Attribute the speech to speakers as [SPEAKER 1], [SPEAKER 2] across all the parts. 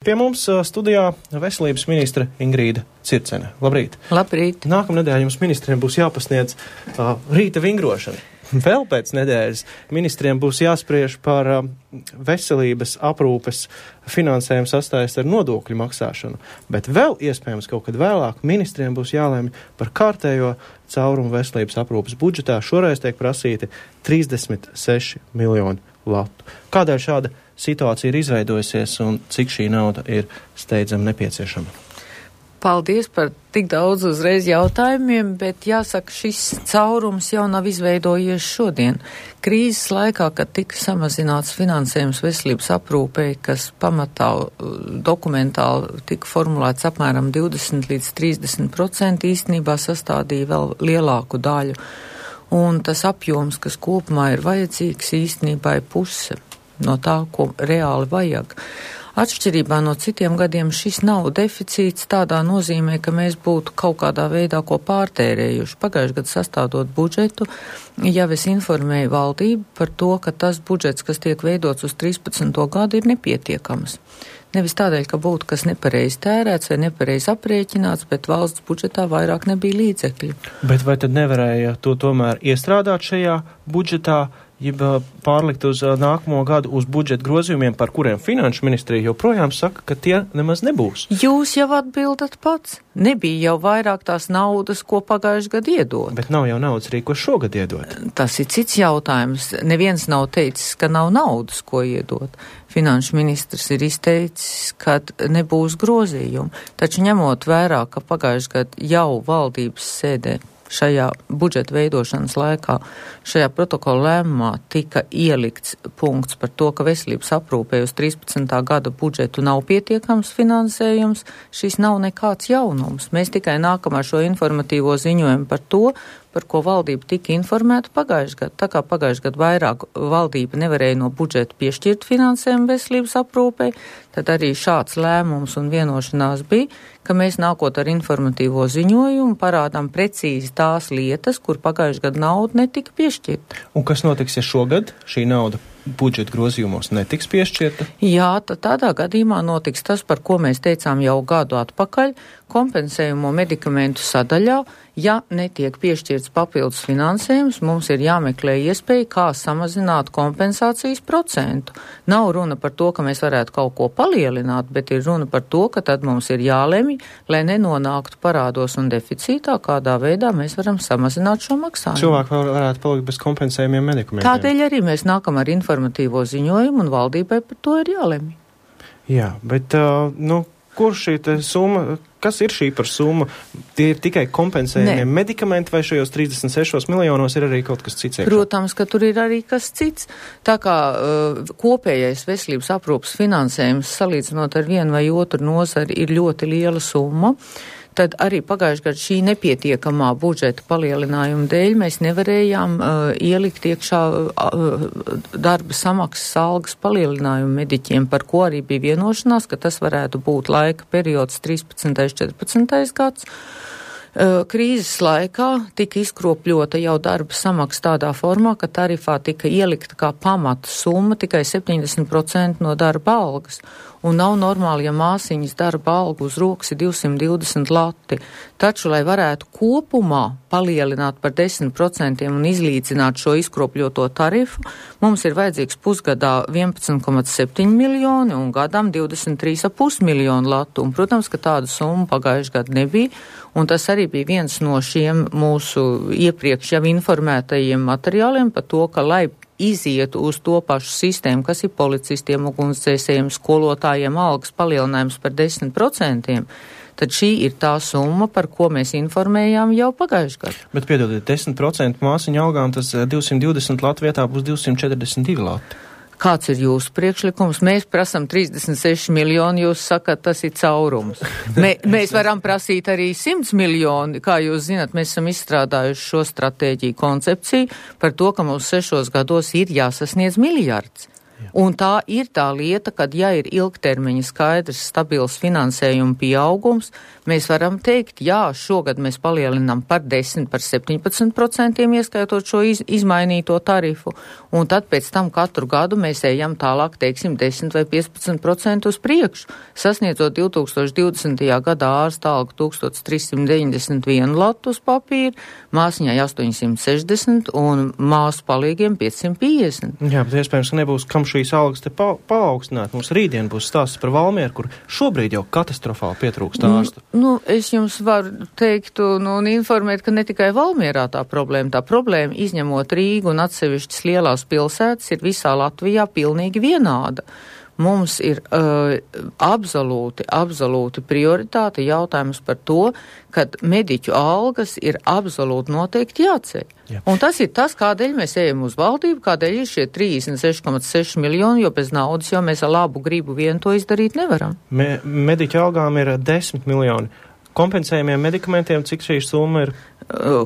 [SPEAKER 1] Pie mums studijā veselības ministre Ingrīda Circene. Labrīt!
[SPEAKER 2] Labrīt!
[SPEAKER 1] Nākamnedēļ jums ministriem būs jāpasniedz rīta vingrošana. Vēl pēc nedēļas ministriem būs jāspriež par veselības aprūpes finansējumu sastājas ar nodokļu maksāšanu, bet vēl iespējams kaut kad vēlāk ministriem būs jālēma par kārtējo caurumu veselības aprūpes budžetā. Šoreiz tiek prasīti 36 miljoni latu. Kādēļ šāda situācija ir izveidojusies un cik šī nauda ir steidzami nepieciešama?
[SPEAKER 2] Paldies par tik daudz uzreiz jautājumiem, bet jāsaka, šis caurums jau nav izveidojies šodien. Krīzes laikā, kad tika samazināts finansējums veselības aprūpei, kas pamatā dokumentāli tika formulēts apmēram 20 līdz 30%, īstenībā sastādīja vēl lielāku daļu. Un tas apjoms, kas kopumā ir vajadzīgs, īstenībā ir puse no tā, ko reāli vajag. Atšķirībā no citiem gadiem šis nav deficīts tādā nozīmē, ka mēs būtu kaut kādā veidā ko pārtērējuši. Pagājušajā gadā sastādot budžetu, jau es informēju valdību par to, ka tas budžets, kas tiek veidots uz 13. gadu, ir nepietiekams. Nevis tādēļ, ka būtu kas nepareizi tērēts vai nepareizi aprēķināts, bet valsts budžetā vairāk nebija līdzekļu.
[SPEAKER 1] Bet vai tad nevarēja to tomēr iestrādāt šajā budžetā, jeb pārlikt uz nākamo gadu uz budžeta grozījumiem, par kuriem finanšu ministrija joprojām saka, ka tie nemaz nebūs?
[SPEAKER 2] Jūs jau atbildat pats. Nebija jau vairāk tās naudas, ko pagājuši gadu iedot.
[SPEAKER 1] Bet nav jau naudas arī, ko šogad iedot.
[SPEAKER 2] Tas ir cits jautājums. Neviens nav teicis, ka nav naudas, ko iedot. Finanšu ministrs ir izteicis, ka nebūs grozījumu. Taču ņemot vērā, ka pagājuši gadu jau valdības sēdē šajā budžeta veidošanas laikā, šajā protokola lēmumā tika ielikts punkts par to, ka veselības aprūpē uz 13. gada budžetu nav pietiekams finansējums. Šis nav nekāds jaunums. Mēs tikai nākam ar šo informatīvo ziņojumu par to, par ko valdība tika informēta pagājušajā gadā. Tā kā pagājušajā gadā vairāk valdība nevarēja no budžeta piešķirt finansējumu veselības aprūpei, tad arī šāds lēmums un vienošanās bija, ka mēs nākot ar informatīvo ziņojumu parādām precīzi tās lietas, kur pagājušajā gadā nauda netika piešķirta.
[SPEAKER 1] Un kas notiks, ja šogad šī nauda budžeta grozījumos netiks piešķirta?
[SPEAKER 2] Jā, tad tādā gadījumā notiks tas, par ko mēs teicām jau gadu atpakaļ, kompensējumu medikamentu sadaļā. Ja netiek piešķirts papildus finansējums, mums ir jāmeklē iespēja, kā samazināt kompensācijas procentu. Nav runa par to, ka mēs varētu kaut ko palielināt, bet ir runa par to, ka tad mums ir jālemj, lai nenonāktu parādos un deficītā, kādā veidā mēs varam samazināt šo maksājumu.
[SPEAKER 1] Cilvēki varētu palikt bez kompensējumiem medikamentiem.
[SPEAKER 2] Tādēļ arī mēs nākam ar informatīvo ziņojumu un valdībai par to ir jālemj.
[SPEAKER 1] Jā, bet, kur šī summa, kas ir šī par summu? Tie ir tikai kompensējumie medikamenti vai šajos 36 miljonos ir arī kaut kas cits?
[SPEAKER 2] Protams, ka tur ir arī kas cits. Tā kā kopējais veselības aprūpas finansējums salīdzinot ar vienu vai otru nozari ir ļoti liela summa, tad arī pagājušajā gadā šī nepietiekamā budžeta palielinājuma dēļ mēs nevarējām ielikt iekšā darba samaksas algas palielinājumu mediķiem, par ko arī bija vienošanās, ka tas varētu būt laika periods 13. 14. gads. Krīzes laikā tika izkropļota jau darba samaksa tādā formā, ka tarifā tika ielikta kā pamata summa tikai 70% no darba algas. Un nav normāli, ja māsiņas darba alga uz rokas ir 220 lati. Taču, lai varētu kopumā palielināt par 10% un izlīdzināt šo izkropļoto tarifu, mums ir vajadzīgs pusgadā 11,7 miljoni un gadam 23,5 miljonu latu. Un, protams, ka tādu summu pagājušajā gadā nebija, un tas arī bija viens no šiem mūsu iepriekš jau informētajiem materiāliem par to, ka, lai izietu uz to pašu sistēmu, kas ir policistiem, ugunsdzēsējiem, skolotājiem algas palielinājums par 10%, tad šī ir tā summa, par ko mēs informējām jau pagājušajā gadā.
[SPEAKER 1] Bet piedodiet, 10% māsiņu algām, tas 220 latu vietā būs 242 lati.
[SPEAKER 2] Kāds ir jūsu priekšlikums? Mēs prasam 36 miljoni, jūs sakat, tas ir caurums. Mēs varam prasīt arī 100 miljoni, kā jūs zinat, mēs esam izstrādājuši šo stratēģiju koncepciju par to, ka mums 6 gados ir jāsasniedz miljards. Un tā ir tā lieta, kad ja ir ilgtermiņa skaidrs, stabils finansējuma pieaugums, mēs varam teikt, jā, šogad mēs palielinām par 10, par 17%, ieskaitot šo izmainīto tarifu, un tad pēc tam katru gadu mēs ejam tālāk, teiksim, 10 vai 15% uz priekšu, sasniedzot 2020. Gadā ārsta algu 1391 latu uz papīra, māsiņai 860 un māsu palīgiem 550.
[SPEAKER 1] Jā, bet iespējams, ka nebūs kam šīs algas te paaugstināt. Mums rītdien būs stāsts par Valmieru, kur šobrīd jau katastrofāli pietrūkst ārstu.
[SPEAKER 2] Es jums varu teikt un informēt, ka ne tikai Valmierā tā problēma izņemot Rīgu un atsevišķas lielās pilsētas ir visā Latvijā pilnīgi vienāda. Mums ir absolūti prioritāte jautājums par to, kad mediķu algas ir absolūti noteikti jāceļ. Jā. Un tas ir tas, kādēļ mēs ejam uz valdību, kādēļ ir šie 36,6 miljoni, jo bez naudas jau mēs ar labu gribu vien to izdarīt nevaram.
[SPEAKER 1] Mediķu algām ir 10 miljoni. Kompensējumiem medikamentiem, cik šī summa ir?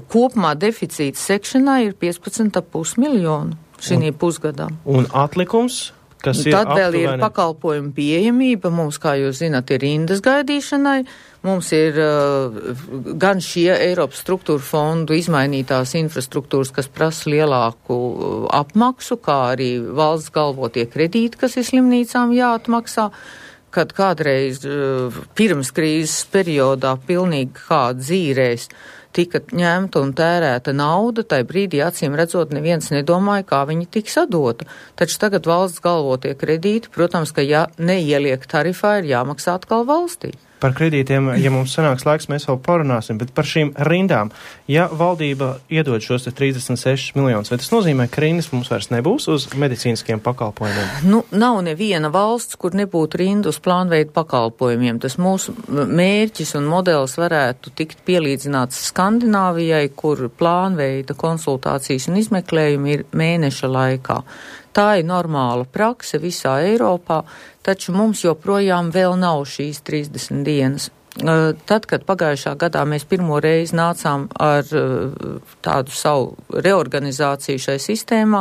[SPEAKER 2] Kopumā deficīts sekšanai ir 15,5 miljonu šī pusgadā. Un
[SPEAKER 1] atlikums?
[SPEAKER 2] Tad vēl ir pakalpojumu pieejamība, mums, kā jūs zināt, ir rindas gaidīšanai, mums ir gan šie Eiropas struktūra fondu izmainītās infrastruktūras, kas prasa lielāku apmaksu, kā arī valsts galvotie kredīti, kas ir slimnīcām jāatmaksā, kad kādreiz pirms krīzes periodā pilnīgi kā dzīrēs tika ņemta un tērēta nauda, tai brīdī acīm redzot neviens nedomāja, kā viņi tiks atdota. Taču tagad valsts galvotie kredīti, protams, ka ja neieliek tarifā, ir jāmaksā atkal valstī.
[SPEAKER 1] Par kredītiem, ja mums sanāks laiks, mēs vēl parunāsim, bet par šīm rindām, ja valdība iedod šos 36 miljonus, vai tas nozīmē, ka rindas mums vairs nebūs uz medicīniskiem pakalpojumiem?
[SPEAKER 2] Nav neviena valsts, kur nebūtu rindu uz plānveidu pakalpojumiem. Tas mūsu mērķis un modelis varētu tikt pielīdzināts Skandināvijai, kur plānveida konsultācijas un izmeklējumi ir mēneša laikā. Tā ir normāla prakse visā Eiropā, taču mums joprojām vēl nav šīs 30 dienas. Tad, kad pagājušā gadā mēs pirmo reizi nācām ar tādu savu reorganizāciju šai sistēmā,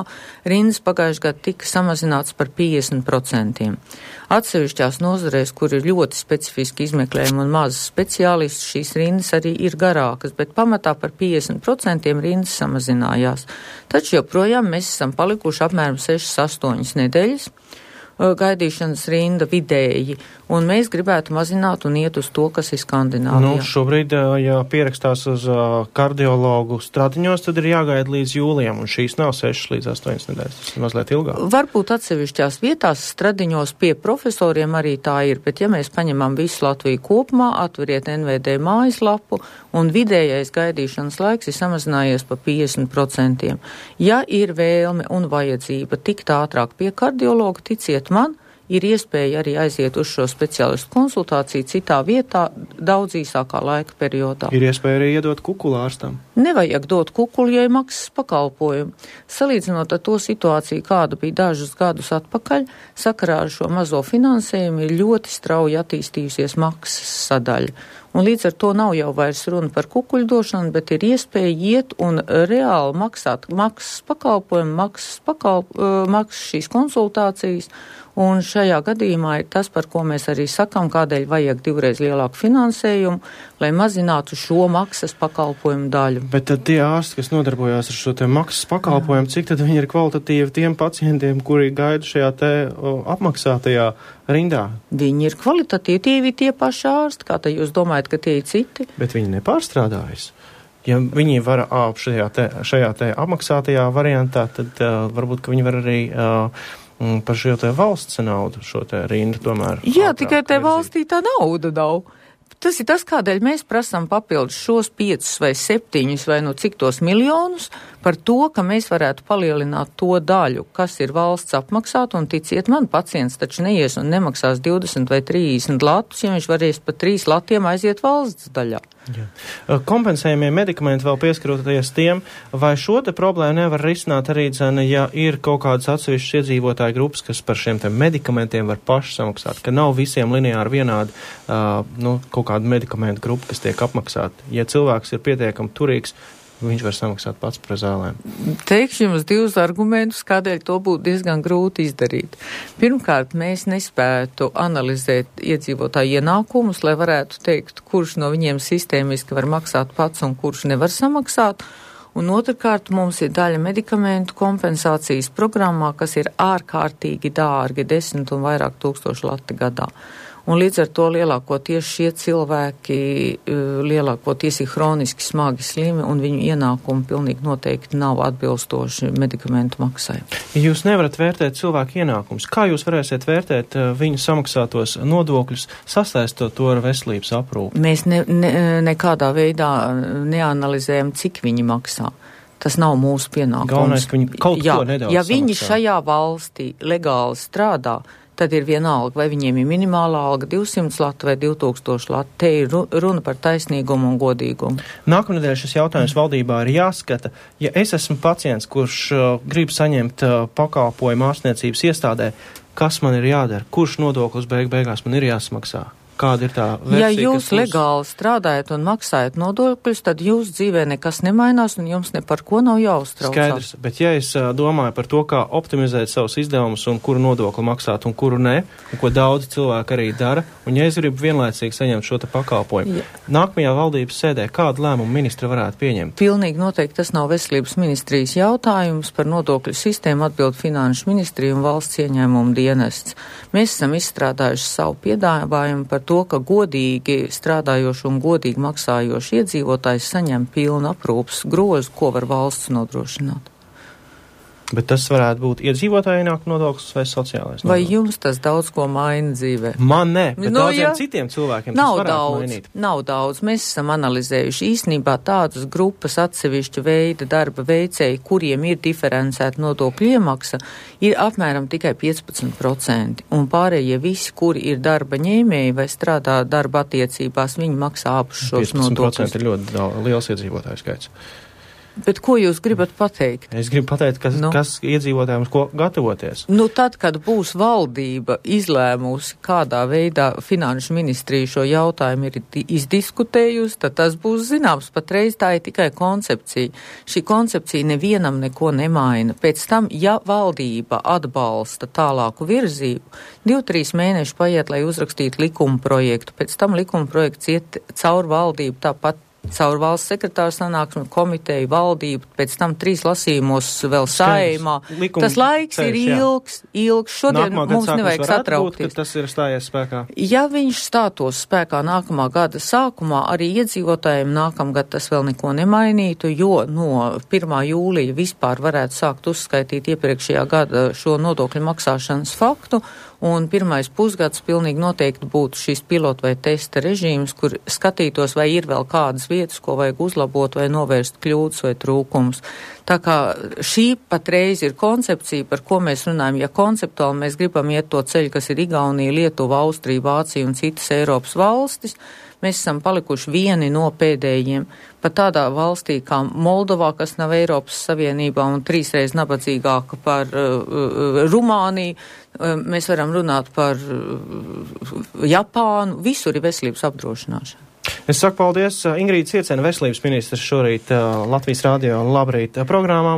[SPEAKER 2] rindas pagājušā gada tika samazināts par 50%. Atsevišķās nozarēs, kur ir ļoti specifiski izmeklējumi un mazas speciālisti, šīs rindas arī ir garākas, bet pamatā par 50% rindas samazinājās. Taču joprojām mēs esam palikuši apmēram 6-8 nedēļas gaidīšanas rinda vidēji, un mēs gribētu mazināt un iet uz to, kas ir Skandināvijā.
[SPEAKER 1] Šobrīd, ja pierakstās uz kardiologu stradiņos, tad ir jāgaida līdz jūlijam, un šīs nav 6 līdz 8 nedēļas, tas ir mazliet ilgāk.
[SPEAKER 2] Varbūt atsevišķās vietās stradiņos pie profesoriem arī tā ir, bet ja mēs paņemam visu Latviju kopumā, atveriet NVD mājaslapu, un vidējais gaidīšanas laiks ir samazinājies pa 50%. Ja ir vēlme un vajadzība tikt ātrāk pie kardiologa, ticiet man, ir iespēja arī aiziet uz šo speciālistu konsultāciju citā vietā daudz īsākā laika periodā.
[SPEAKER 1] Ir iespēja arī iedot kukulu ārstam?
[SPEAKER 2] Nevajag dot kukulu, ja ir maksas pakalpojumu. Salīdzinot ar to situāciju, kāda bija dažus gadus atpakaļ, sakarā ar šo mazo finansējumu ir ļoti strauji attīstījusies maksas sadaļa. Un līdz ar to nav jau vairs runa par kukuļu došanu, bet ir iespēja iet un reāli maksāt maksas pakalpojumu, maksas šīs konsultācijas. Un šajā gadījumā ir tas, par ko mēs arī sakam, kādēļ vajag divreiz lielāku finansējumu, lai mazinātu šo maksas pakalpojumu daļu.
[SPEAKER 1] Bet tad tie ārsti, kas nodarbojās ar šo te maksas pakalpojumu, cik tad viņi ir kvalitatīvi tiem pacientiem, kuri gaida šajā te apmaksātajā rindā?
[SPEAKER 2] Viņi ir kvalitatīvi tie paši ārsti, kā te jūs domājat, ka tie ir citi?
[SPEAKER 1] Bet viņi nepārstrādājas. Ja viņi var šajā te apmaksātajā variantā, tad varbūt, ka viņi var arī par šo te valsts naudu, šo te rindu tomēr.
[SPEAKER 2] Jā, tikai te valstī tā nauda nav. Tas ir tas, kādēļ mēs prasām papildus šos 5 vai 7 vai no cik tos miljonus par to, ka mēs varētu palielināt to daļu, kas ir valsts apmaksāta, un ticiet man, pacients taču neies un nemaksās 20 vai 30 latus, ja viņš varēs pa 3 latiem aiziet valsts daļā.
[SPEAKER 1] Jā. Kompensējumie medikamenti vēl pieskaroties tiem, vai šo te problēmu nevar risināt arī, ja ir kaut kādas atsevišķas iedzīvotāju grupas, kas par šiem te medikamentiem var paši samaksāt, ka nav visiem lineāri vienādi kaut kāda medikamentu grupa, kas tiek apmaksāta. Ja cilvēks ir pietiekami turīgs, viņš var samaksāt pats par zālēm?
[SPEAKER 2] Teikšu jums divus argumentus, kādēļ to būtu diezgan grūti izdarīt. Pirmkārt, mēs nespētu analizēt iedzīvotāju ienākumus, lai varētu teikt, kurš no viņiem sistēmiski var maksāt pats un kurš nevar samaksāt. Un otrkārt, mums ir daļa medikamentu kompensācijas programmā, kas ir ārkārtīgi dārgi, 10 un vairāk tūkstoši lati gadā. Un līdz ar to lielākoties šie cilvēki lielākoties ir hroniski smagi slimi un viņu ienākumi pilnīgi noteikti nav atbilstoši medikamentu maksai.
[SPEAKER 1] Ja jūs nevarat vērtēt cilvēku ienākumus, kā jūs varēsiet vērtēt viņu samaksātos nodokļus, sasaistot to ar veselības aprūpi?
[SPEAKER 2] Mēs nekādā veidā neanalizējam, cik viņi maksā. Tas nav mūsu pienākums.
[SPEAKER 1] Galvenais, ka viņi kaut ko nedaudz
[SPEAKER 2] ja viņi
[SPEAKER 1] samaksā.
[SPEAKER 2] šajā valstī legāli strādā, tad ir vienalga, vai viņiem ir minimālā alga 200 lati vai 2000 lati. Te ir runa par taisnīgumu un godīgumu.
[SPEAKER 1] Nākamnedēļ šis jautājums valdībā ir jāskata. Ja es esmu pacients, kurš grib saņemt pakalpojumu ārstniecības iestādē, kas man ir jādara? Kurš nodoklis beigās man ir jāsmaksā? Kāda ir tā versija?
[SPEAKER 2] Ja jūs legāli strādājat un maksājat nodokļus, tad jūs dzīvē nekas nemainās un jums ne par ko nav jāuztraucās.
[SPEAKER 1] Skaidrs, bet ja es domāju par to, kā optimizēt savus izdevumus un kuru nodokli maksāt un kuru ne, un ko daudz cilvēku arī dara, un ja es gribu vienlaicīgi saņemt šo te pakalpojumu, nākamajā valdības sēdē kādu lēmumu ministra varētu pieņemt?
[SPEAKER 2] Pilnīgi noteikti tas nav veselības ministrijas jautājums, par nodokļu sistēmu atbild Finanšu ministrija un valsts ieņēmumu dienests. Mēs esam izstrādājuši savu piedāvājumu par to, ka godīgi strādājoši un godīgi maksājoši iedzīvotājs saņem pilnu aprūpas grozu, ko var valsts nodrošināt.
[SPEAKER 1] Bet tas varētu būt iedzīvotāju ienākumu nodoklis vai sociālais nodoklis?
[SPEAKER 2] Vai jums tas daudz ko maina dzīvē?
[SPEAKER 1] Man ne, bet daudziem citiem cilvēkiem tas varētu mainīt.
[SPEAKER 2] Nav daudz. Mēs esam analizējuši īstenībā tādas grupas atsevišķa veida darba veicēji, kuriem ir diferencēta nodokļu iemaksa, ir apmēram tikai 15%. Un pārējie visi, kuri ir darba ņēmēji vai strādā darba attiecībās, viņi maksā abus šos nodokļus.
[SPEAKER 1] 15% ir ļoti liels iedzīvotāju skaits.
[SPEAKER 2] Bet ko jūs gribat pateikt?
[SPEAKER 1] Es gribu pateikt, kas iedzīvotājiem ko gatavoties.
[SPEAKER 2] Tad, kad būs valdība izlēmusi, kādā veidā Finanšu ministrija šo jautājumu ir izdiskutējusi, tad tas būs zināms. Patreiz tā ir tikai koncepcija. Šī koncepcija nevienam neko nemaina. Pēc tam, ja valdība atbalsta tālāku virzību, 2-3 mēneši paiet, lai uzrakstītu likuma projektu. Pēc tam likuma projekts iet caur valdību tāpat. Caur valsts sekretāru sanāksmi, komiteju, valdību, pēc tam 3 lasījumos vēl Saeimā. Tas laiks ir ilgs. Šodien mums nevajag satraukties.
[SPEAKER 1] Būt, tas ir stājies spēkā.
[SPEAKER 2] Ja viņš stātos spēkā nākamā gada sākumā, arī iedzīvotājiem nākamgad tas vēl neko nemainītu, jo no 1. jūlija vispār varētu sākt uzskaitīt iepriekšējā gada šo nodokļu maksāšanas faktu. Un 1. pusgads pilnīgi noteikti būtu šis pilotu vai testa režīms, kur skatītos, vai ir vēl kādas vietas, ko vajag uzlabot vai novērst kļūdas vai trūkumus. Tā kā šī patreiz ir koncepcija, par ko mēs runājam. Ja konceptuāli mēs gribam iet to ceļu, kas ir Igaunija, Lietuva, Austrija, Vācija un citas Eiropas valstis, mēs esam palikuši vieni no pēdējiem. Pat tādā valstī kā Moldovā, kas nav Eiropas Savienībā un 3 reizes nabadzīgāka par Rumāniju, mēs varam runāt par Japānu, visur ir veselības apdrošināšana.
[SPEAKER 1] Es saku paldies Ingrīda Ciecena, veselības ministrs šorīt Latvijas radio Labrīt programmā.